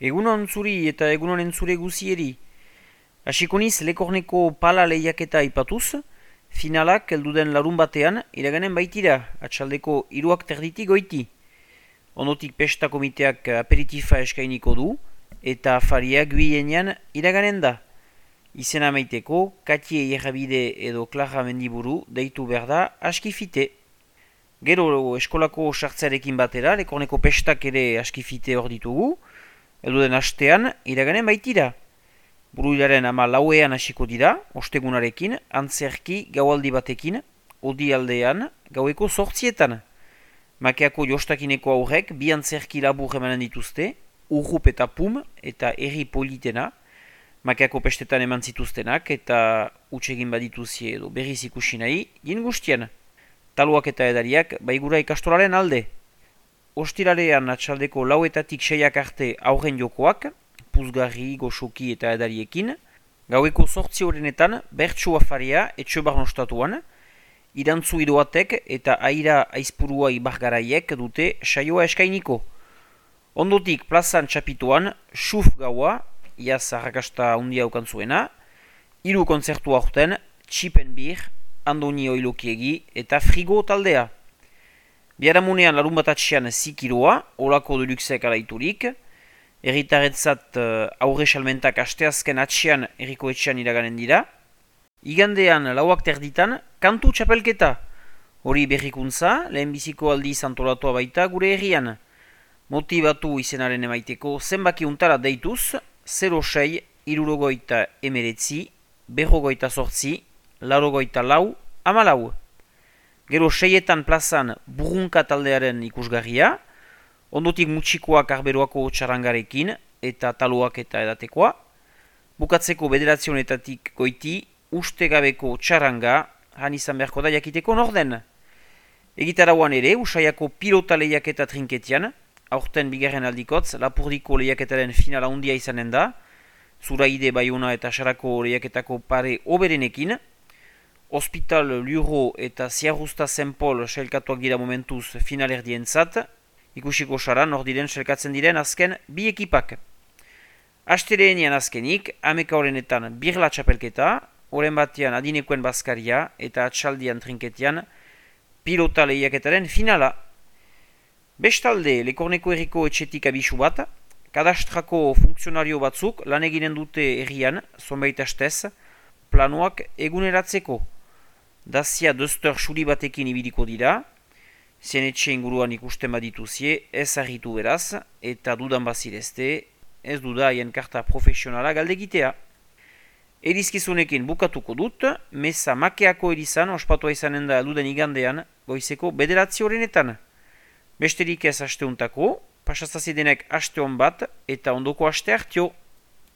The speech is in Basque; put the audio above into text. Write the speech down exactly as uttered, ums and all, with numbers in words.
Egunon zuri eta egunon entzure guzieri. Hasiko niz Lekorneko pala lehiaketa ipatuz, finalak elduden larun batean iraganen baitira, atxaldeko hiruak terditik goiti. Ondotik pesta komiteak aperitifa eskainiko du, eta afariak guienean iraganen da. Izena maiteko, Katie Errabide edo Clara Mendiburu deitu behar da askifite. Gero eskolako sartzearekin batera, Lekorneko pestak ere askifite hor ditugu, elduden astean iraganen baitira. Buruilaren ama lauean hasiko dira, ostegunarekin, antzerki gaualdi batekin, odi aldean, gaueko sortzietan. Makeako jostakineko aurrek bi antzerki labur emanen dituzte, urrup eta pum eta erri politena, Makeako pestetan eman zituztenak eta utsegin badituzie edo berriz ikusi nahi, gin guztien. Taluak eta edariak baigura ikastolaren alde. Ostiralean atxaldeko lauetatik seiak arte aurren jokoak, puzgarri, goxoki eta edariekin, gaueko sortzi horrenetan bertsu afaria etxe barnostatuan, irantzu idoatek eta aira aizpurua ibargaraiek dute saioa eskainiko. Ondotik plazan txapituan, xuf gaua, iaz arrakasta handia ukan zuena, hiru kontzertu aurten, txipen bir, Andoni Oilokiegi eta frigo taldea. Biaramunean larun bat atxean zikiroa, olako deluxek alaiturik, erritaretzat uh, aurre salmentak asteazken atxean erriko etxean iraganen dira. Igandean lauak terditan, kantu txapelketa. Hori berrikuntza, lehenbiziko aldi antolatua baita gure herrian. Motibatu izenaren emaiteko zenbaki untara deituz, zero sei, irurogoita emeretzi, berrogoita sortzi, laurogoita lau, amalau. Gero seietan plazan burrunka taldearen ikusgarria, ondotik mutxikoak arberoako txarangarekin eta taluak eta edatekoa. Bukatzeko bederatzionetatik goiti, ustegabeko txaranga, han izan beharko da jakiteko norden. Egitarauan ere, usaiako pilota lehiaketa trinketian, aurten bigarren aldikotz, Lapurdiko lehiaketaren finala handia izanen da, Zuraide, Baiona eta Sarako lehiaketako pare oberenekin, Hospital, Luro eta Ziarrusta Zenpol sailkatuak dira momentuz finalerdientzat, ikusiko saran hor diren selkatzen diren azken bi ekipak. Astereenian azkenik, ameka horrenetan birla txapelketa, horren batean adinekoen bazkaria eta atxaldian trinketian pilota lehiaketaren finala. Bestalde, Lekorneko herriko etxetik abisu bat, kadastrako funtzionario batzuk lan eginen dute herrian, zonbait astez, planoak eguneratzeko. Dazia dozter suri batekin ibiliko dira, zenetxe inguruan ikusten badituzie, ez harritu beraz, eta dudan bazirezte, ez duda haien karta profesionala galdegitea. Erizkizunekin bukatuko dut, meza makeako erizan, ospatua izanen da duden igandean, goizeko bederatzi horrenetan. Besterik ez asteuntako, pasazazidenek aste hon bat, eta ondoko aste hartio.